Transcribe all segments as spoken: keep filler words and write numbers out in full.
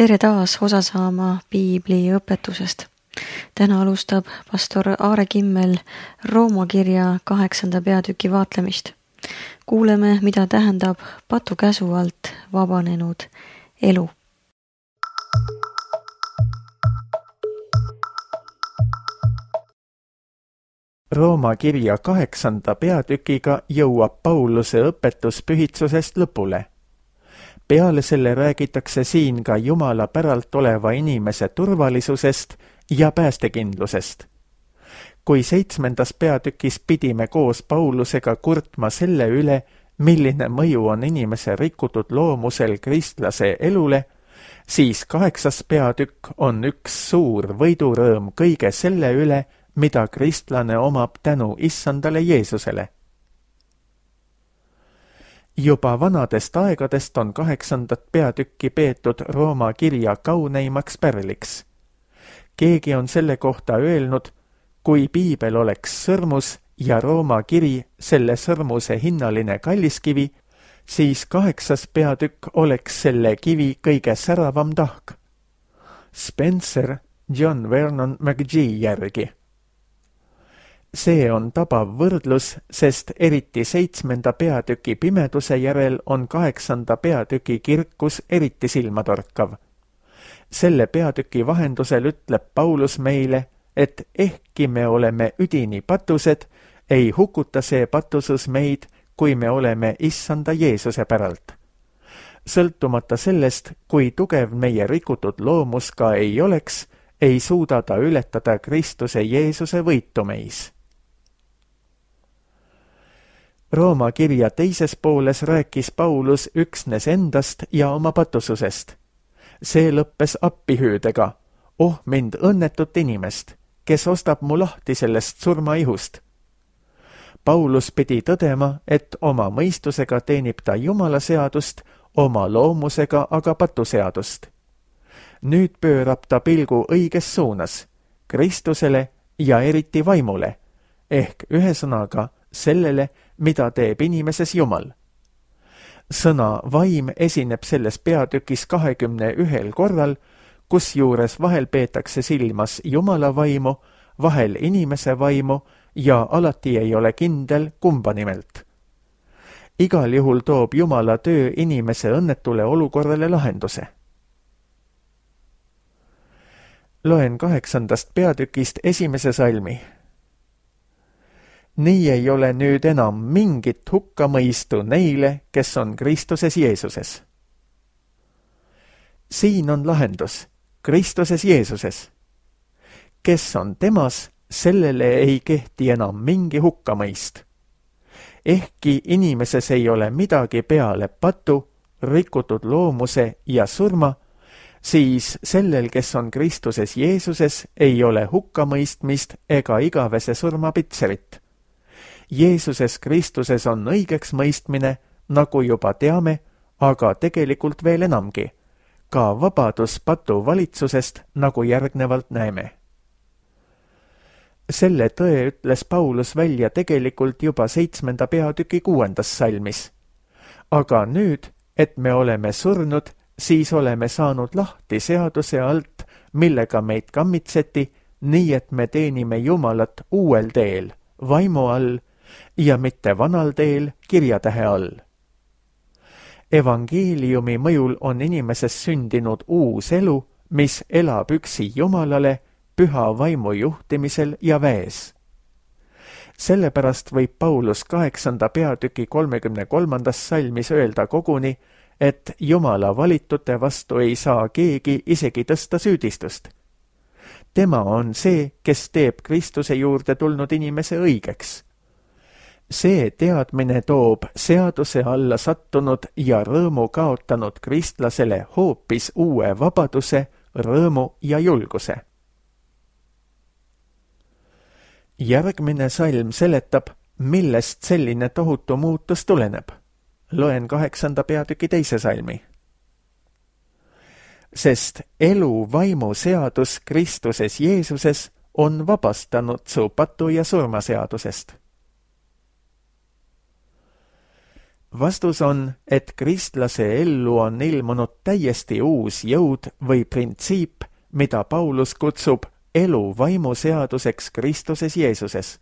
Tere taas osa saama piibli õpetusest. Täna alustab pastor Aare Kimmel Rooma kirja kaheksanda peatüki vaatlemist. Kuuleme, mida tähendab patu käsu alt vabanenud elu. Rooma kirja kaheksanda peatükiga jõuab Pauluse õpetus pühitsusest lõpule. Peale selle räägitakse siin ka Jumala päralt oleva inimese turvalisusest ja päästekindlusest. Kui seitsmendas peatükis pidime koos Paulusega kurtma selle üle, milline mõju on inimese rikutud loomusel kristlase elule, siis kaheksas peatükk on üks suur võidurõõm kõige selle üle, mida kristlane omab tänu issandale Jeesusele. Juba vanadest aegadest on kaheksandat peatükki peetud Rooma kirja kauneimaks pärliks. Keegi on selle kohta öelnud, kui piibel oleks sõrmus ja Rooma kiri selle sõrmuse hinnaline kalliskivi, siis kaheksas peatükk oleks selle kivi kõige säravam tahk. Spencer John Vernon McGee järgi. See on tabav võrdlus, sest eriti seitsmenda peatüki pimeduse järel on kaheksanda peatüki kirkus eriti silmatorkav. Selle peatüki vahendusel ütleb Paulus meile, et ehkki me oleme üdini patused, ei hukuta see patusus meid, kui me oleme issanda Jeesuse päralt. Sõltumata sellest, kui tugev meie rikutud loomus ka ei oleks, ei suuda ta ületada Kristuse Jeesuse võitu meis. Rooma kirja teises pooles rääkis Paulus üksnes endast ja oma patususest. See lõppes appihüüdega, oh mind õnnetut inimest, kes ostab mu lahti sellest surmaihust. Paulus pidi tõdema, et oma mõistusega teenib ta Jumala seadust, oma loomusega aga patuseadust. Nüüd pöörab ta pilgu õiges suunas, Kristusele ja eriti vaimule, ehk ühesõnaga sellele, mida teeb inimeses Jumal. Sõna vaim esineb selles peatükis kahekümne ühel korral, kus juures vahel peetakse silmas Jumala vaimu, vahel inimese vaimu ja alati ei ole kindel kumba nimelt. Igal juhul toob Jumala töö inimese õnnetule olukorrale lahenduse. Loen kaheksandast peatükist esimese salmi. Nii ei ole nüüd enam mingit hukkamõistu neile, kes on Kristuses Jeesuses. Siin on lahendus, Kristuses Jeesuses. Kes on temas, sellele ei kehti enam mingi hukkamõist. Ehkki inimeses ei ole midagi peale patu, rikutud loomuse ja surma, siis sellel, kes on Kristuses Jeesuses, ei ole hukkamõistmist ega igavese surma pitserit. Jeesuses Kristuses on õigeks mõistmine, nagu juba teame, aga tegelikult veel enamgi, ka vabadus patu valitsusest, nagu järgnevalt näeme. Selle tõe ütles Paulus välja tegelikult juba seitsmenda peatüki kuuendas salmis. Aga nüüd, et me oleme surnud, siis oleme saanud lahti seaduse alt, millega meid kammitseti, nii et me teenime Jumalat uuel teel, vaimu all, ja mitte vanal teel kirjatähe all. Evangeeliumi mõjul on inimeses sündinud uus elu, mis elab üksi Jumalale, püha vaimu juhtimisel ja väes. Sellepärast võib Paulus kaheksanda peatüki kolmekümne kolmandas salmis öelda koguni, et Jumala valitute vastu ei saa keegi isegi tõsta süüdistust. Tema on see, kes teeb Kristuse juurde tulnud inimese õigeks. See teadmine toob seaduse alla sattunud ja rõõmu kaotanud kristlasele hoopis uue vabaduse, rõõmu ja julguse. Järgmine salm seletab, millest selline tohutu muutus tuleneb. Loen kaheksanda peatüki teise salmi. Sest elu vaimu seadus Kristuses Jeesuses on vabastanud su patu ja surmaseadusest. Vastus on, et kristlase ellu on ilmunud täiesti uus jõud või printsiip, mida Paulus kutsub elu vaimuseaduseks Kristuses Jeesuses.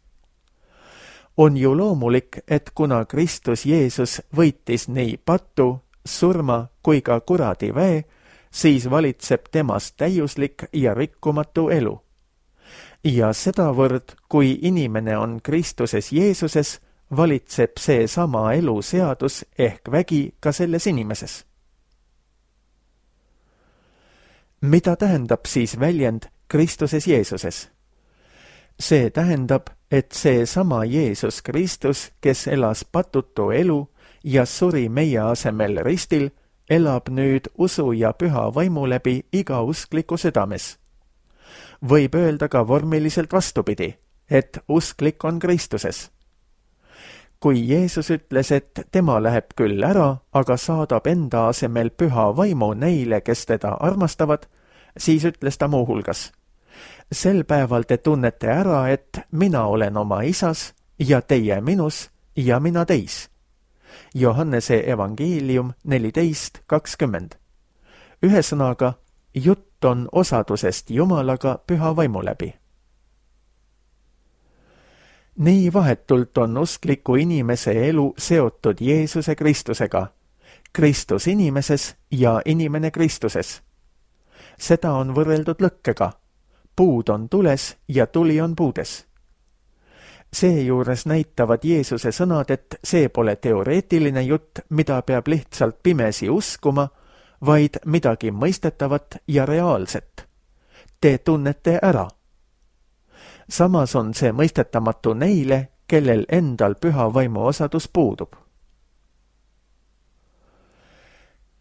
On ju loomulik, et kuna Kristus Jeesus võitis nii patu, surma kui ka kuradi väe, siis valitseb temast täiuslik ja rikkumatu elu. Ja sedavõrd, kui inimene on Kristuses Jeesuses, valitseb see sama eluseadus ehk vägi ka selles inimeses. Mida tähendab siis väljend Kristuses Jeesuses? See tähendab, et see sama Jeesus Kristus, kes elas patutu elu ja suri meie asemel ristil, elab nüüd usu ja püha vaimu läbi iga uskliku südames. Võib öelda ka vormiliselt vastupidi, et usklik on Kristuses. Kui Jeesus ütles, et tema läheb küll ära, aga saadab enda asemel püha vaimu neile, kes teda armastavad, siis ütles ta muuhulgas: sel päeval te tunnete ära, et mina olen oma isas ja teie minus ja mina teis. Johannese evangeelium neliteist kakskümmend. Ühesõnaga, jutt on osadusest Jumalaga püha vaimu läbi. Nii vahetult on uskliku inimese elu seotud Jeesuse Kristusega, Kristus inimeses ja inimene Kristuses. Seda on võrreldud lõkkega. Puud on tules ja tuli on puudes. Seejuures näitavad Jeesuse sõnad, et see pole teoreetiline jutt, mida peab lihtsalt pimesi uskuma, vaid midagi mõistetavat ja reaalset. Te tunnete ära. Samas on see mõistetamatu neile, kellel endal püha vaimu osadus puudub.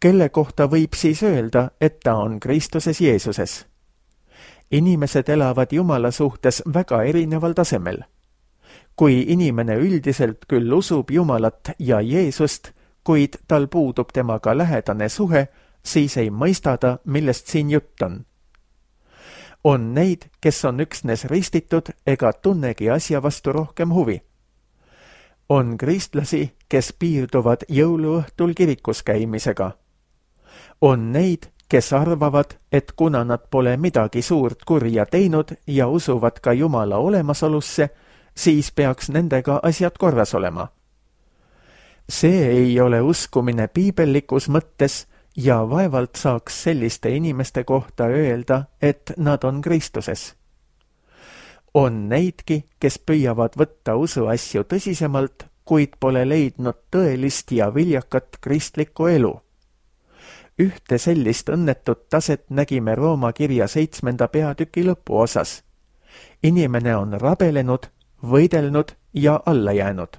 Kelle kohta võib siis öelda, et ta on Kristuses Jeesuses? Inimesed elavad Jumala suhtes väga erineval tasemel. Kui inimene üldiselt küll usub Jumalat ja Jeesust, kuid tal puudub temaga lähedane suhe, siis ei mõista ta, millest siin jutt on. On neid, kes on üksnes ristitud ega tunnegi asja vastu rohkem huvi. On kristlasi, kes piirduvad jõuluõhtul kirikus käimisega. On neid, kes arvavad, et kuna nad pole midagi suurt kurja teinud ja usuvad ka Jumala olemasolusse, siis peaks nendega asjad korras olema. See ei ole uskumine piibellikus mõttes ja vaevalt saaks selliste inimeste kohta öelda, et nad on Kristuses. On neidki, kes püüavad võtta usuasju tõsisemalt, kuid pole leidnud tõelist ja viljakat kristlikku elu. Ühte sellist õnnetut taset nägime Rooma kirja seitsmenda peatüki lõpuosas. Inimene on rabelenud, võidelnud ja alla jäänud.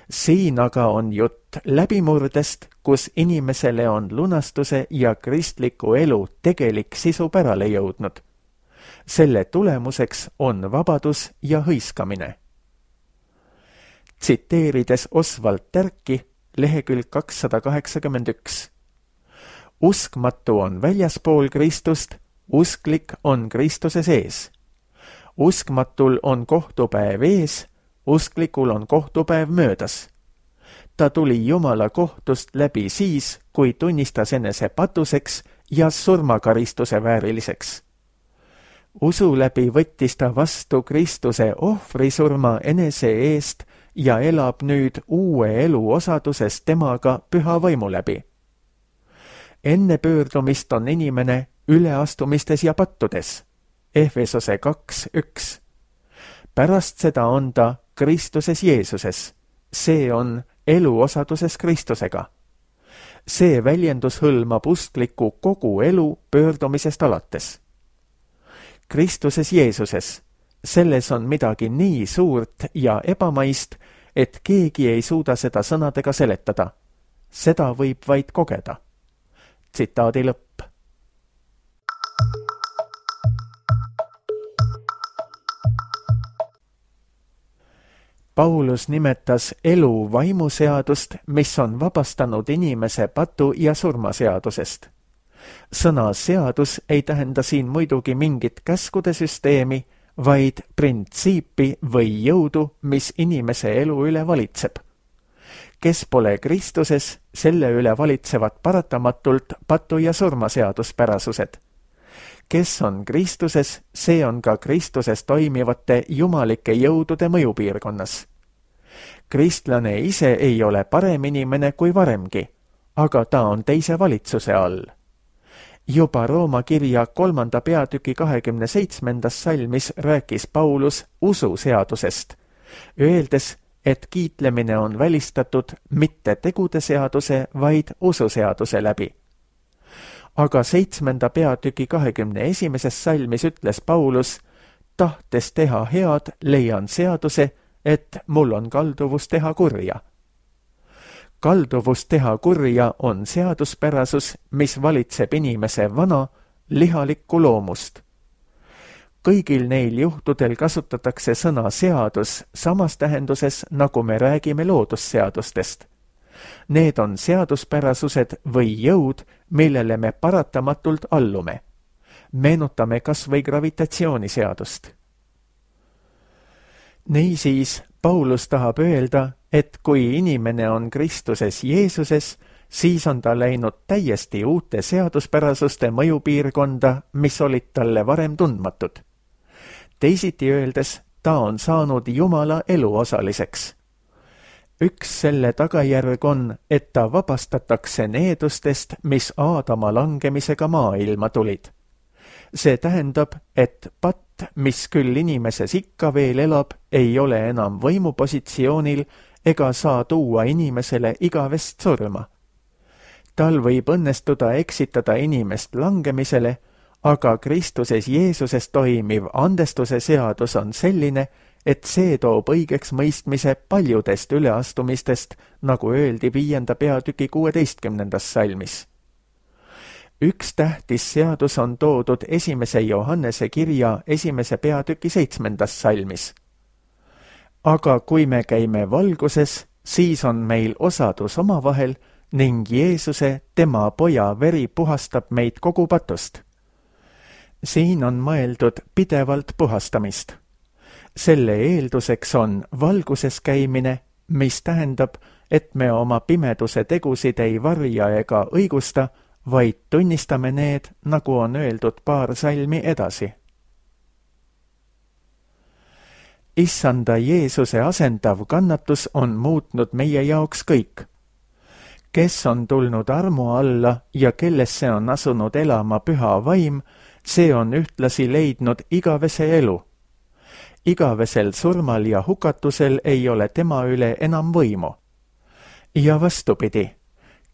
Siin aga on jutt läbimurdest, kus inimesele on lunastuse ja kristliku elu tegelik sisu pärale jõudnud. Selle tulemuseks on vabadus ja hõiskamine. Tsiteerides Oswald Terki, lehekülg kakssada kaheksakümmend üks. Uskmatu on väljaspool Kristust, usklik on Kristuse sees. Uskmatul on kohtupäev ees, usklikul on kohtupäev möödas. Ta tuli Jumala kohtust läbi siis, kui tunnistas enese patuseks ja surmakaristuse vääriliseks. Usu läbi võttis ta vastu Kristuse ohvrisurma enese eest ja elab nüüd uue elu osaduses temaga püha vaimu läbi. Enne pöördumist on inimene üleastumistes ja pattudes. Efesose kaks üks. Pärast seda on ta Kristuses Jeesuses. See on elu osaduses Kristusega. See väljendus hõlmab uskliku kogu elu pöördumisest alates. Kristuses Jeesuses. Selles on midagi nii suurt ja ebamaist, et keegi ei suuda seda sõnadega seletada. Seda võib vaid kogeda. Tsitaadi lõpp. Paulus nimetas elu vaimuseadust, mis on vabastanud inimese patu ja surmaseadusest. Sõna seadus ei tähenda siin muidugi mingit käskude süsteemi, vaid printsiipi või jõudu, mis inimese elu üle valitseb. kes pole Kristuses, selle üle valitsevad paratamatult patu- ja surmaseaduspärasused. Kes on Kristuses, see on ka Kristuses toimivate jumalike jõudude mõjupiirkonnas. Kristlane ise ei ole parem inimene kui varemgi, aga ta on teise valitsuse all. Juba Rooma kirja kolmanda peatüki kahekümne seitsmendas salmis rääkis Paulus ususeadusest, öeldes, et kiitlemine on välistatud mitte tegude seaduse, vaid ususeaduse läbi. Aga seitsmenda peatüki kahekümne esimeses salmis ütles Paulus, tahtes teha head, leian seaduse, et mul on kalduvus teha kurja. Kalduvus teha kurja on seaduspärasus, mis valitseb inimese vana, lihalikku loomust. Kõigil neil juhtudel kasutatakse sõna seadus samas tähenduses, nagu me räägime loodusseadustest. Need on seaduspärasused või jõud, millele me paratamatult allume. Meenutame kas või gravitatsiooniseadust. Niisiis, Paulus tahab öelda, et kui inimene on Kristuses Jeesuses, siis on ta läinud täiesti uute seaduspärasuste mõjupiirkonda, mis olid talle varem tundmatud. Teisiti öeldes, ta on saanud Jumala eluosaliseks. Üks selle tagajärg on, et ta vabastatakse needustest, mis Aadama langemisega maailma tulid. See tähendab, et patt, mis küll inimeses ikka veel elab, ei ole enam võimupositsioonil ega saa tuua inimesele igavest surma. Tal võib õnnestuda eksitada inimest langemisele, aga Kristuses Jeesuses toimiv andestuse seadus on selline, et see toob õigeks mõistmise paljudest üleastumistest, nagu öeldi viienda peatüki kuueteistkümnendas salmis. Üks tähtis seadus on toodud esimese Johannese kirja esimese peatüki seitsmendas salmis. Aga kui me käime valguses, siis on meil osadus omavahel ning Jeesuse, tema poja veri puhastab meid kogu patust. Siin on mõeldud pidevalt puhastamist. Selle eelduseks on valguses käimine, mis tähendab, et me oma pimeduse tegusid ei varja ega õigusta, vaid tunnistame need, nagu on öeldud paar salmi edasi. Issanda Jeesuse asendav kannatus on muutnud meie jaoks kõik. Kes on tulnud armu alla ja kellesse on asunud elama püha vaim, see on ühtlasi leidnud igavese elu. Igavesel surmal ja hukatusel ei ole tema üle enam võimu. Ja vastupidi,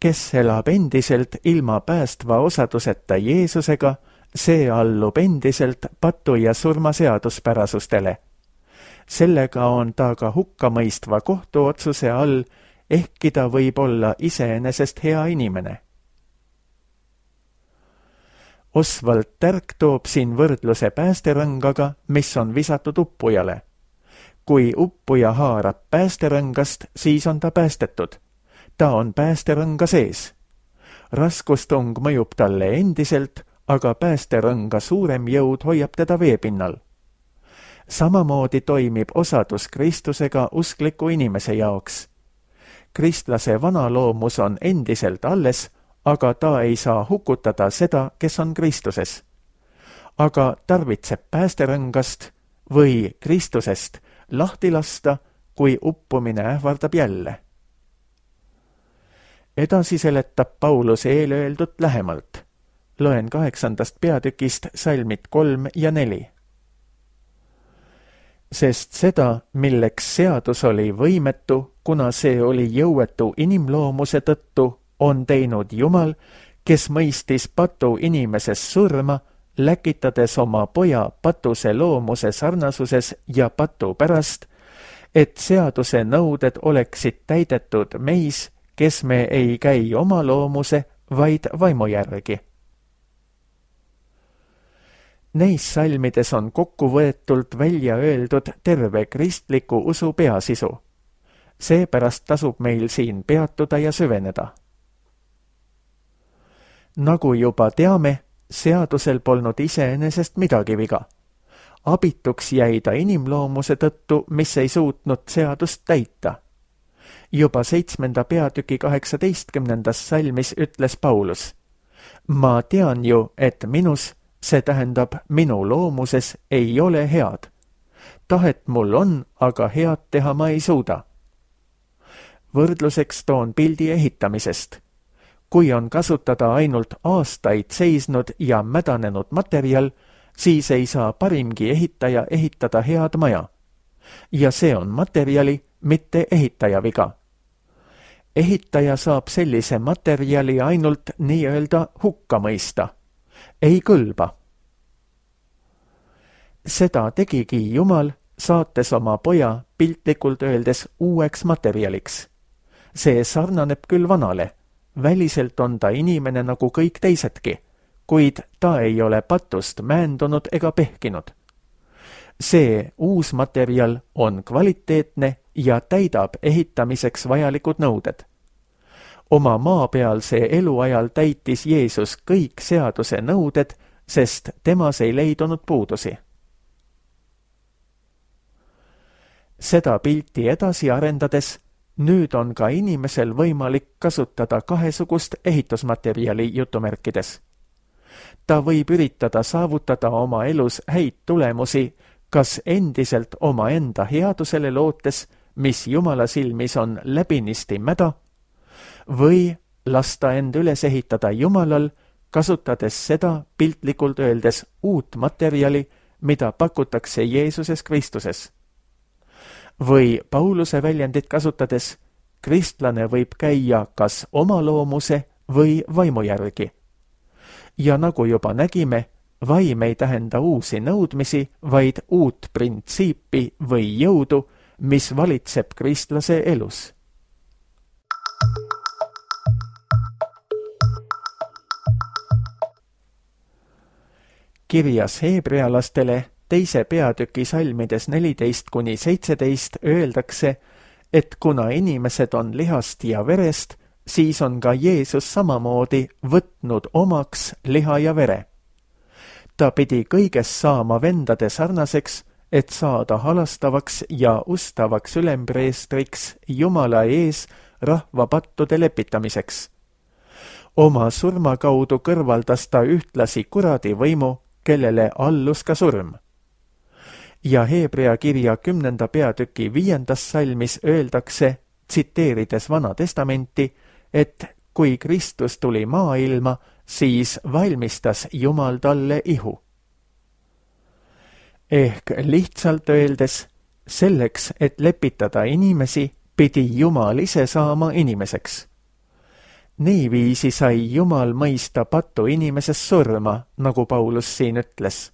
kes elab endiselt ilma päästva osaduseta Jeesusega, see allub endiselt patu- ja surmaseaduspärasustele. Sellega on ta ka hukkamõistva kohtuotsuse all, ehkki ta võib olla iseenesest hea inimene. Oswald Tärk toob siin võrdluse päästerõngaga, mis on visatud uppujale. Kui uppuja haarab päästerõngast, siis on ta päästetud. Ta on päästerõnga sees. Raskustung mõjub talle endiselt, aga päästerõnga suurem jõud hoiab teda veepinnal. Samamoodi toimib osadus Kristusega uskliku inimese jaoks. Kristlase vana loomus on endiselt alles, aga ta ei saa hukutada seda, kes on Kristuses. Aga tarvitseb päästerõngast või Kristusest lahti lasta, kui uppumine ähvardab jälle. Edasi seletab Paulus eelöeldut lähemalt. Loen kaheksandast peatükist salmid kolm ja neli. Sest seda, milleks seadus oli võimetu, kuna see oli jõuetu inimloomuse tõttu, on teinud Jumal, kes mõistis patu inimeses surma, läkitades oma poja patuse loomuse sarnasuses ja patu pärast, et seaduse nõuded oleksid täidetud meis, kes me ei käi oma loomuse, vaid vaimu järgi. Neis salmides on kokkuvõetult välja öeldud terve kristliku usu peasisu. Seepärast tasub meil siin peatuda ja süveneda. Nagu juba teame, seadusel polnud iseenesest midagi viga. Abituks jäi ta inimloomuse tõttu, mis ei suutnud seadust täita. Juba seitsmenda peatüki kaheksateistkümnendas salmis ütles Paulus: ma tean ju, et minus, see tähendab minu loomuses, ei ole head. Tahet mul on, aga head teha ma ei suuda. Võrdluseks toon pildi ehitamisest. Kui on kasutada ainult aastaid seisnud ja mädanenud materjal, siis ei saa parimgi ehitaja ehitada head maja. Ja see on materjali, mitte ehitaja viga. Ehitaja saab sellise materjali ainult nii-öelda hukka mõista. Ei kõlba. Seda tegigi Jumal, saates oma poja piltlikult öeldes uueks materjaliks. See sarnaneb küll vanale. Väliselt on ta inimene nagu kõik teisedki, kuid ta ei ole patust määndunud ega pehkinud. See uus materjal on kvaliteetne ja täidab ehitamiseks vajalikud nõuded. Oma maapealse eluajal täitis Jeesus kõik seaduse nõuded, sest temas ei leidunud puudusi. Seda pilti edasi arendades, nüüd on ka inimesel võimalik kasutada kahesugust ehitusmaterjali jutumärkides. Ta võib üritada saavutada oma elus häid tulemusi, kas endiselt oma enda headusele lootes, mis Jumala silmis on läbinisti mäda, või lasta end üles ehitada Jumalal, kasutades seda piltlikult öeldes uut materjali, mida pakutakse Jeesuses Kristuses. Või Pauluse väljendit kasutades, kristlane võib käia kas oma loomuse või vaimu järgi. Ja nagu juba nägime, vaim ei tähenda uusi nõudmisi, vaid uut printsiipi või jõudu, mis valitseb kristlase elus. Kirjas heebrealastele teise peatüki salmides neliteist kuni seitseteist öeldakse, et kuna inimesed on lihast ja verest, siis on ka Jeesus samamoodi võtnud omaks liha ja vere. Ta pidi kõiges saama vendade sarnaseks, et saada halastavaks ja ustavaks ülempreestriks Jumala ees rahva pattude lepitamiseks. Oma surma kaudu kõrvaldas ta ühtlasi kuradi võimu, kellele allus ka surm. Ja Heebrea kirja kümnenda peatüki viiendas salmis öeldakse, tsiteerides Vana Testamenti, et kui Kristus tuli maailma, siis valmistas Jumal talle ihu. Ehk lihtsalt öeldes, selleks, et lepitada inimesi, pidi Jumal ise saama inimeseks. Niiviisi sai Jumal mõista pattu inimeses surma, nagu Paulus siin ütles.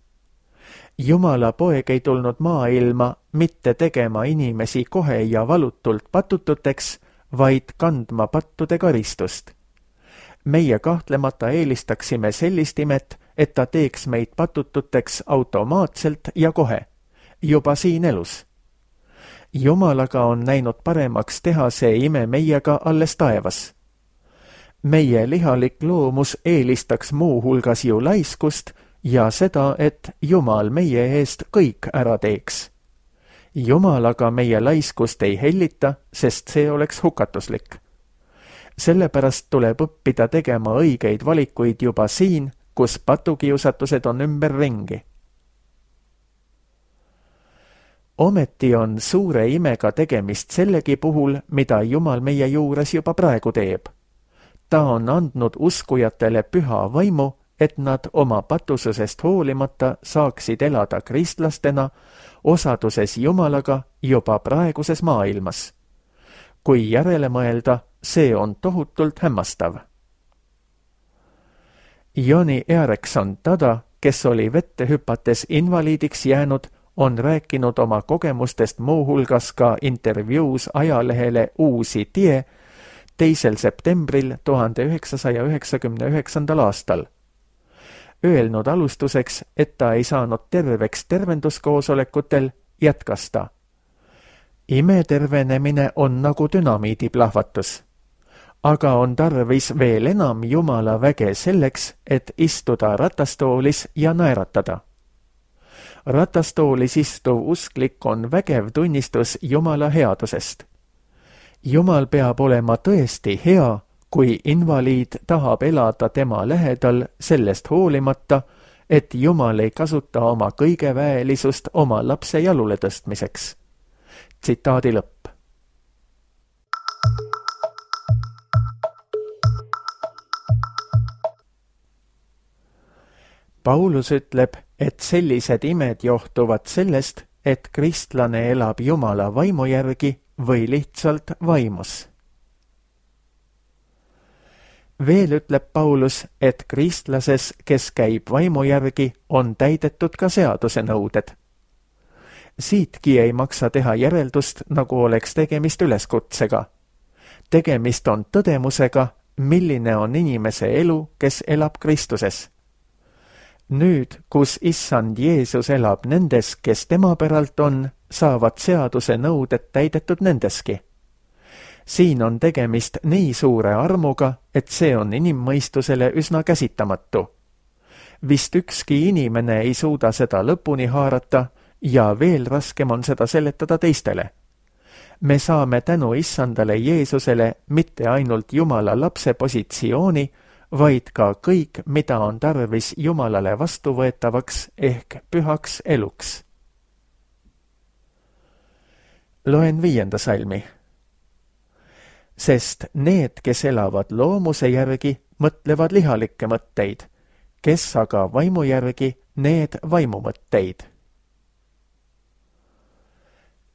Jumala poeg ei tulnud maailma mitte tegema inimesi kohe ja valutult patututeks, vaid kandma pattude karistust. Meie kahtlemata eelistaksime sellist imet, et ta teeks meid patututeks automaatselt ja kohe, juba siin elus. Jumalaga on näinud paremaks teha see ime meiega alles taevas. Meie lihalik loomus eelistaks muu hulgas ju laiskust ja seda, et Jumal meie eest kõik ära teeks. Jumalaga meie laiskust ei hellita, sest see oleks hukatuslik. Sellepärast tuleb õppida tegema õigeid valikuid juba siin, kus patukiusatused on ümber ringi. Ometi on suure imega tegemist sellegi puhul, mida Jumal meie juures juba praegu teeb. Ta on andnud uskujatele püha vaimu, et nad oma patususest hoolimata saaksid elada kristlastena, osaduses Jumalaga juba praeguses maailmas. Kui järele mõelda, see on tohutult hämmastav. Joni Erekson Tada, kes oli vette hüpates invaliidiks jäänud, on rääkinud oma kogemustest muu hulgas ka intervjuus ajalehele Uusi Tie teisel septembril tuhande üheksasaja üheksakümne üheksandal aastal. Öelnud alustuseks, et ta ei saanud terveks tervenduskoosolekutel, jätkas ta. Imetervenemine on nagu dünamiidiplahvatus. Aga on tarvis veel enam Jumala väge selleks, et istuda ratastoolis ja naeratada. Ratastoolis istuv usklik on vägev tunnistus Jumala headusest. Jumal peab olema tõesti hea, kui invaliid tahab elada tema lähedal sellest hoolimata, et Jumal ei kasuta oma kõige väelisust oma lapse jalule tõstmiseks. Tsitaadi lõpp. Paulus ütleb, et sellised imed johtuvad sellest, et kristlane elab Jumala vaimu järgi või lihtsalt vaimus. Veel ütleb Paulus, et kristlases, kes käib vaimu järgi, on täidetud ka seaduse nõuded. Siitki ei maksa teha järeldust, nagu oleks tegemist üleskutsega. Tegemist on tõdemusega, milline on inimese elu, kes elab Kristuses. Nüüd, kus issand Jeesus elab nendes, kes tema päralt on, saavad seaduse nõuded täidetud nendeski. Siin on tegemist nii suure armuga, et see on inimmõistusele üsna käsitamatu. Vist ükski inimene ei suuda seda lõpuni haarata ja veel raskem on seda seletada teistele. Me saame tänu issandale Jeesusele mitte ainult Jumala lapse positsiooni, vaid ka kõik, mida on tarvis Jumalale vastuvõetavaks ehk pühaks eluks. Loen viienda salmi. Sest need, kes elavad loomuse järgi, mõtlevad lihalikke mõtteid, kes aga vaimu järgi, need vaimumõtteid.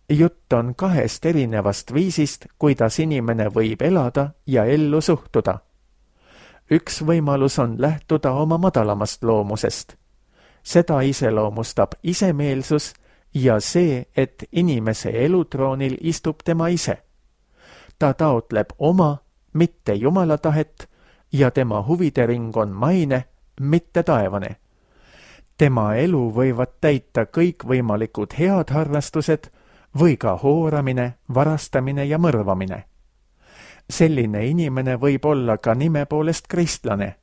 Jutt on kahest erinevast viisist, kuidas inimene võib elada ja ellu suhtuda. Üks võimalus on lähtuda oma madalamast loomusest. Seda iseloomustab isemeelsus ja see, et inimese elutroonil istub tema ise. Ta taotleb oma, mitte Jumala tahet ja tema huvide ring on maine, mitte taevane. Tema elu võivad täita kõikvõimalikud head harrastused või ka hooramine, varastamine ja mõrvamine. Selline inimene võib olla ka nime poolest kristlane.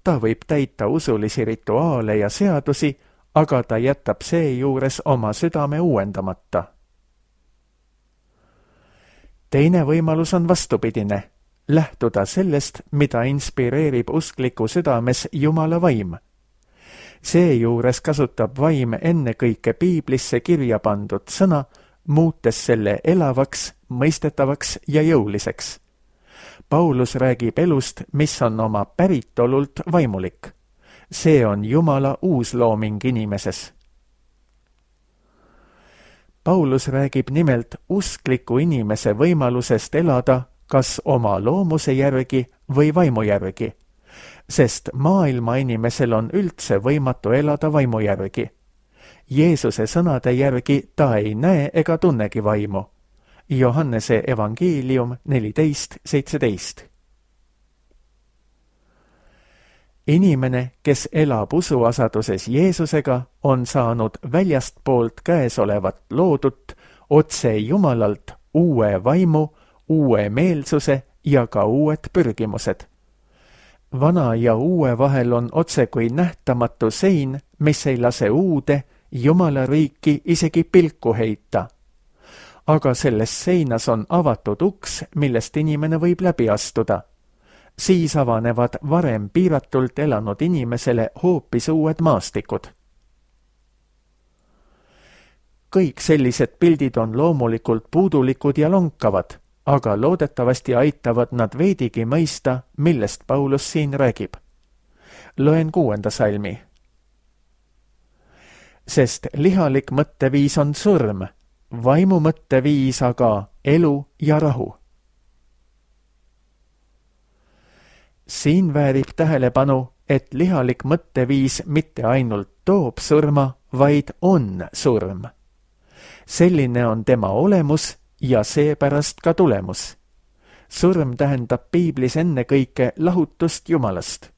Ta võib täita usulisi rituaale ja seadusi, aga ta jätab seejuures oma südame uuendamata. Teine võimalus on vastupidine, lähtuda sellest, mida inspireerib uskliku südames Jumala vaim. Seejuures kasutab vaim ennekõike piiblisse kirja pandud sõna, muutes selle elavaks, mõistetavaks ja jõuliseks. Paulus räägib elust, mis on oma päritolult vaimulik. See on Jumala uuslooming inimeses. Paulus räägib nimelt uskliku inimese võimalusest elada kas oma loomuse järgi või vaimu järgi, sest maailma inimesel on üldse võimatu elada vaimu järgi. Jeesuse sõnade järgi ta ei näe ega tunnegi vaimu. Johannese evangeelium neliteist seitseteist. Inimene, kes elab usuasaduses Jeesusega, on saanud väljastpoolt käesolevat loodut otse Jumalalt uue vaimu, uue meelsuse ja ka uued pürgimused. Vana ja uue vahel on otse kui nähtamatu sein, mis ei lase uude Jumala riiki isegi pilku heita. Aga selles seinas on avatud uks, millest inimene võib läbi astuda. Siis avanevad varem piiratult elanud inimesele hoopis uued maastikud. Kõik sellised pildid on loomulikult puudulikud ja lonkavad, aga loodetavasti aitavad nad veidigi mõista, millest Paulus siin räägib. Loen kuuenda salmi. Sest lihalik mõtteviis on surm, vaimu mõtteviis aga elu ja rahu. Siin väärib tähelepanu, et lihalik mõtteviis mitte ainult toob surma, vaid on surm. Selline on tema olemus ja seepärast ka tulemus. Surm tähendab piiblis ennekõike lahutust Jumalast.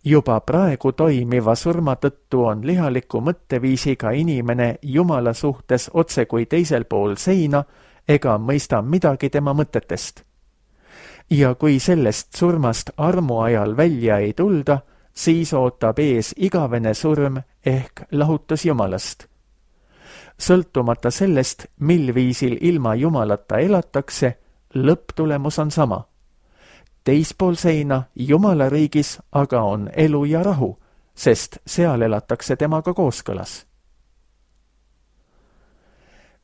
Juba praegu toimiva surma tõttu on lihaliku mõtteviisiga inimene Jumala suhtes otse kui teisel pool seina ega mõista midagi tema mõtetest. Ja kui sellest surmast armu ajal välja ei tulda, siis ootab ees igavene surm ehk lahutus Jumalast. Sõltumata sellest, mil viisil ilma Jumalata elatakse, lõpptulemus on sama. Teispool seina Jumala riigis aga on elu ja rahu, sest seal elatakse temaga kooskõlas.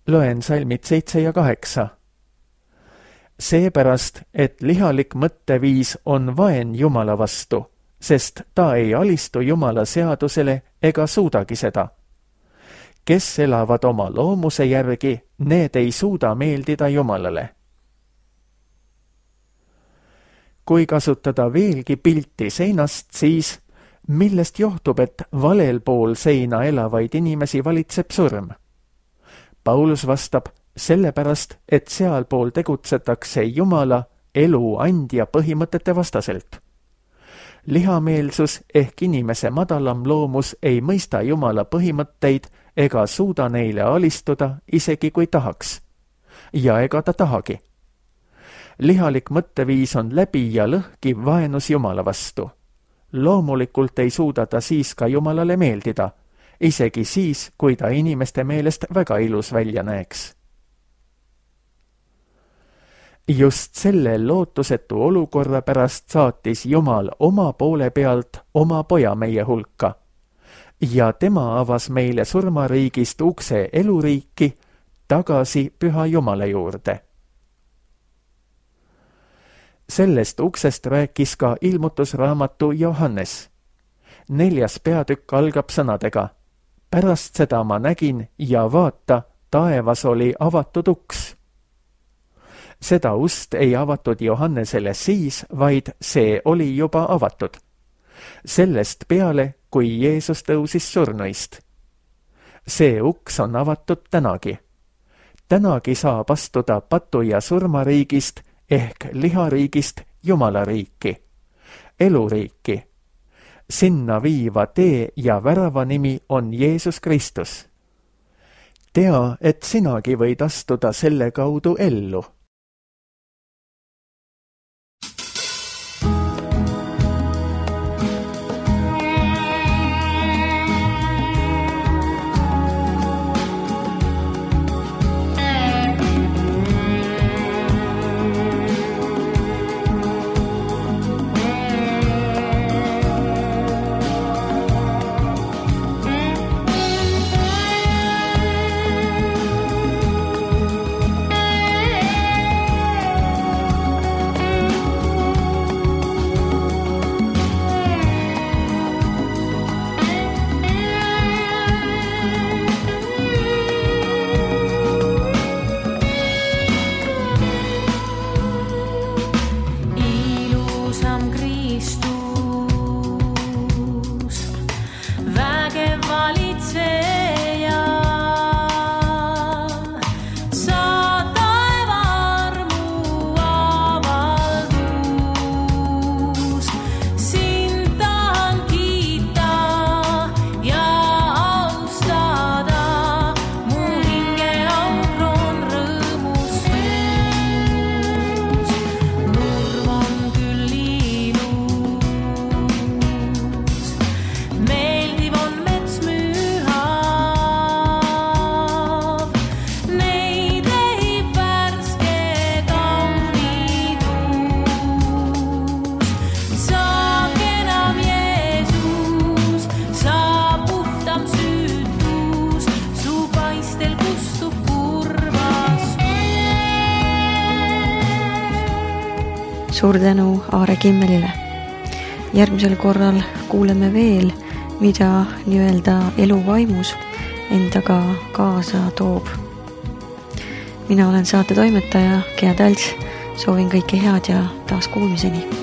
Loen salmid seitse ja kaheksa. Seepärast, et lihalik mõtteviis on vaen Jumala vastu, sest ta ei alistu Jumala seadusele ega suudagi seda. Kes elavad oma loomuse järgi, need ei suuda meeldida Jumalale. Kui kasutada veelgi pilti seinast, siis millest johtub, et valel pool seina elavaid inimesi valitseb surm? Paulus vastab, sellepärast, et sealpool tegutsetakse Jumala elu andja põhimõtete vastaselt. Lihameelsus ehk inimese madalam loomus ei mõista Jumala põhimõtteid ega suuda neile alistuda, isegi kui tahaks. Ja ega ta tahagi. Lihalik mõtteviis on läbi ja lõhki vaenus Jumala vastu. Loomulikult ei suuda ta siis ka Jumalale meeldida, isegi siis, kui ta inimeste meelest väga ilus välja näeks. Just selle lootusetu olukorra pärast saatis Jumal oma poole pealt oma poja meie hulka ja tema avas meile surmariigist ukse eluriiki tagasi Püha Jumala juurde. Sellest uksest rääkis ka ilmutusraamatu Johannes. Neljas peatükk algab sõnadega. Pärast seda ma nägin ja vaata, taevas oli avatud uks. Seda ust ei avatud Johannesele siis, vaid see oli juba avatud. Sellest peale, kui Jeesus tõusis surnuist. See uks on avatud tänagi. Tänagi saab astuda patu ja surmariigist ehk lihariigist Jumala riiki, eluriiki. Sinna viiva tee ja värava nimi on Jeesus Kristus. Tea, et sinagi võid astuda selle kaudu ellu. Suur tänu Aare Kimmelile. Järgmisel korral kuuleme veel, mida nii-öelda elu vaimus endaga kaasa toob. Mina olen saate toimetaja Gea Tälts, soovin kõike head ja taas kuulmiseni.